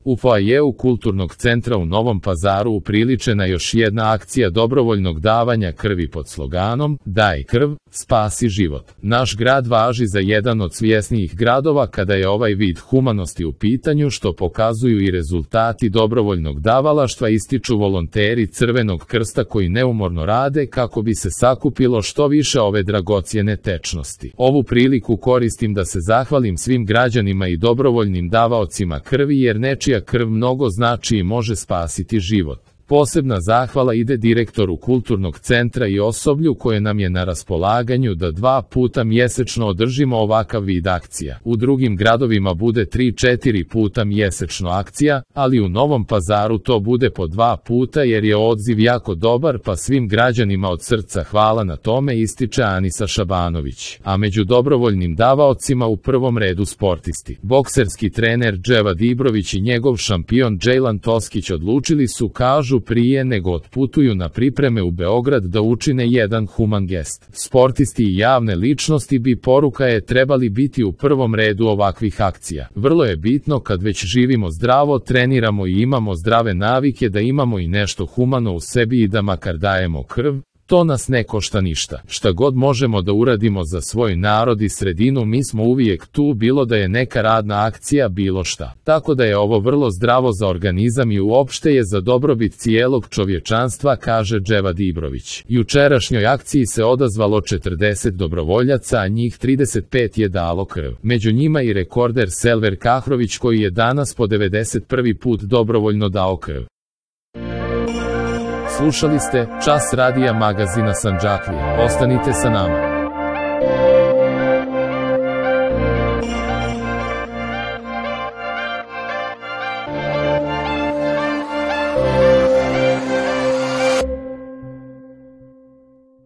U foajeu Kulturnog centra u Novom Pazaru upriličena još jedna akcija dobrovoljnog davanja krvi pod sloganom "Daj krv, spasi život". Naš grad važi za jedan od svjesnijih gradova kada je ovaj vid humanosti u pitanju, što pokazuju i rezultati dobrovoljnog davalaštva, ističu volonteri Crvenog krsta koji neumorno rade kako bi se sakupilo što više ove dragocjene tečnosti. Ovu priliku koristim da se zahvalim svim građanima i dobrovoljnim davaocima krvi, jer nečija krv mnogo znači i može spasiti život. Posebna zahvala ide direktoru Kulturnog centra i osoblju koje nam je na raspolaganju da 2 puta mjesečno održimo ovakav vid akcija. U drugim gradovima bude 3-4 puta mjesečno akcija, ali u Novom Pazaru to bude po 2 puta jer je odziv jako dobar, pa svim građanima od srca hvala na tome, ističe Anisa Šabanović. A među dobrovoljnim davaocima u prvom redu sportisti. Bokserski trener Dževa Dibrović i njegov šampion Džejlan Toskić odlučili su, kažu, prije nego otputuju na pripreme u Beograd da učine jedan human gest. Sportisti i javne ličnosti bi, poruka je, trebali biti u prvom redu ovakvih akcija. Vrlo je bitno kad već živimo zdravo, treniramo i imamo zdrave navike da imamo i nešto humano u sebi i da makar dajemo krv. To nas ne košta ništa. Šta god možemo da uradimo za svoj narod i sredinu, mi smo uvijek tu, bilo da je neka radna akcija, bilo šta. Tako da je ovo vrlo zdravo za organizam i uopšte je za dobrobit cijelog čovječanstva, kaže Dževa Dibrović. Jučerašnjoj akciji se odazvalo 40 dobrovoljaca, a njih 35 je dalo krv. Među njima i rekorder Selver Kahrović koji je danas po 91. put dobrovoljno dao krv. Slušali ste Čas radija magazina Sandžaklija. Ostanite sa nama.